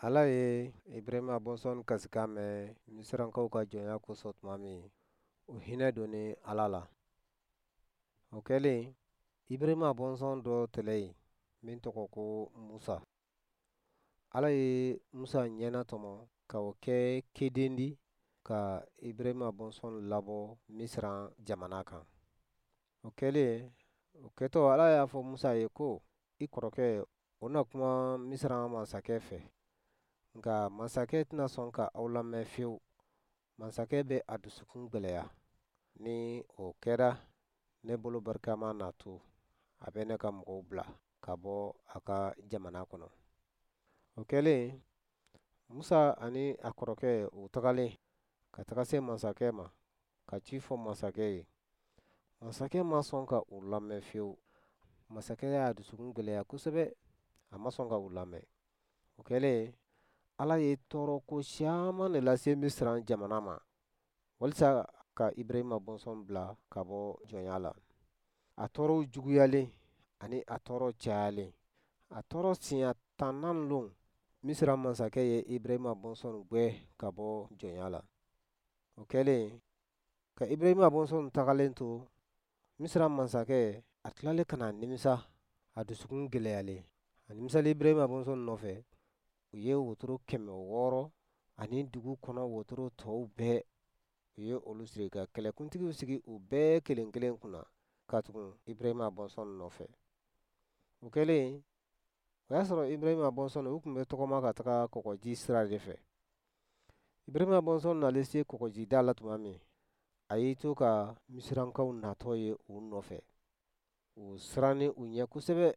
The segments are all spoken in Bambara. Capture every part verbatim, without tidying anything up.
Ala ye Ibrahima bɔnsɔn kasikan mɛn Misirankaw ka jɔnya kosɔn tuma min, u hinɛ donnen Ala la. O kɛlen, Ibrahima bɔnsɔn dɔ tɛlɛ yen min tɔgɔ ko Musa. Ala ye Musa ɲɛnatɔmɔ ka o kɛ keden di ka Ibrahima bɔnsɔn labɔ Misiran jamana kan. O kɛlen, o kɛtɔ Ala y'a fɔ Musa ye ko, i kɔrɔkɛ o na kuma Misiran masakɛ fɛ, nka masakɛ tɛna sɔn ka aw lamɛn fiyewu. Masakɛ bɛ a dusukun gwɛlɛya. Ni o kɛra, ne bolo barikama na to, a bɛ ne ka mɔgɔw bila ka bɔ a ka jamana kɔnɔ. O kɛlen, Musa ani a kɔrɔkɛ u tagalen ka taga se masakɛ ma ka ci fɔ masakɛ ye. Masakɛ ma sɔn ka u lamɛn fiyewu. Masakɛ y'a dusukun gwɛlɛya kosɛbɛ, a ma sɔn ka u lamɛn. O kɛlen, Ala ye tɔɔrɔko caman de lase Misiran jamana ma walisa ka Ibrahima bɔnsɔn bila ka bɔ jɔnya la. A tɔɔrɔw juguyalen ani a tɔɔrɔ cayalen, a tɔɔrɔ siɲɛ tannan lon, Misiran masakɛ ye Ibrahima bɔnsɔn gwɛn ka bɔ jɔnya la. O kɛlen, ka Ibrahima bɔnsɔn tagalen to, Misiran masakɛ a tilalen ka na nimisa, a dusukun gɛlɛyalen. A nimisalen Ibrahima bɔnsɔn nɔfɛ, u ye wotoro kɛmɛ wɔɔrɔ ani dugu kɔnɔ wotoro tɔw bɛɛ, u ye olu siri ka kɛlɛkuntigiw sigi u bɛɛ kelen kelen kunna ka tugu Ibrahima bɔnsɔn nɔfɛ. O kɛlen, o y'a sɔrɔ Ibrahima bɔnsɔn u tun bɛ tɔgɔma ka taga kɔgɔji sira de fɛ. Ibrahima bɔnsɔn nalen se kɔgɔjida la tuma min, a y'i to ka Misirankaw natɔ ye u nɔfɛ. U sirannen u ɲɛ kosɛbɛ.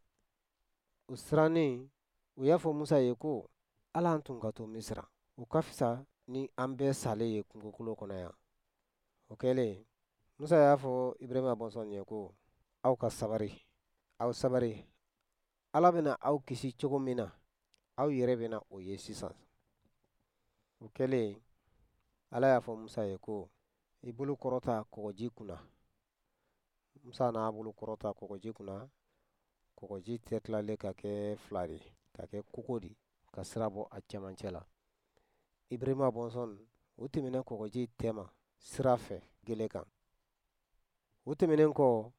U sirannen, u y'a fɔ Musa ye ko, Ala an tun ka to Misira, o ka fisa ni an bɛɛ salen ye kungokolo kɔnɔ yan. O kɛlen, Musa y'a fɔ Ibrahima bɔnsɔn ye ko, aw ka sabari, aw sabari. Ala bɛna aw kisi cogo min na, aw yɛrɛ bɛna o ye sisan. O kɛlen, Ala y'a fɔ Musa ye ko, i bolo kɔrɔta kɔgɔji kunna. Musa n'a bolo kɔrɔta kɔgɔji kunna, kɔgɔji tɛ tilalen ka kɛ fila de, ka kɛ kogo di, ka sira bɔ a cɛmancɛ la. Ibrahima bɔnsɔn u tɛmɛna kɔgɔji tɛma sira fɛ gele kan. U tɛmɛnen kɔ,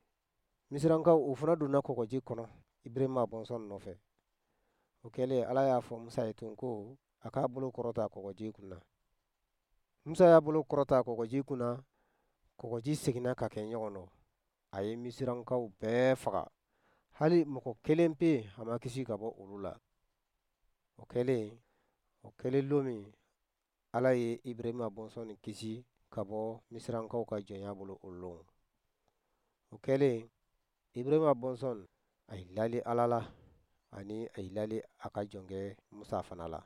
Misirankaw u fana donna kɔgɔji kɔnɔ Ibrahima bɔnsɔn nɔfɛ. O kɛlen, Ala y'a fɔ Musa ye tun ko a k'a bolo kɔrɔta kɔgɔji kunna. Musa y'a bolo kɔrɔta kɔgɔji kunna, kɔgɔji seginna ka kɛ ɲɔgɔn nɔ. A ye Misirankaw bɛɛ faga, hali mɔgɔ kelen pe a ma kisi ka bɔ olu la. O kɛlen, o kɛlen lon min, Ala ye Ibrahima bɔnsɔn kisi ka bɔ Misirankaw ka jɔnya bolo o lon. O kɛlen, Ibrahima bɔnsɔn a ye lali Ala la ani a ye lali a ka jɔnkɛ Musa fana la.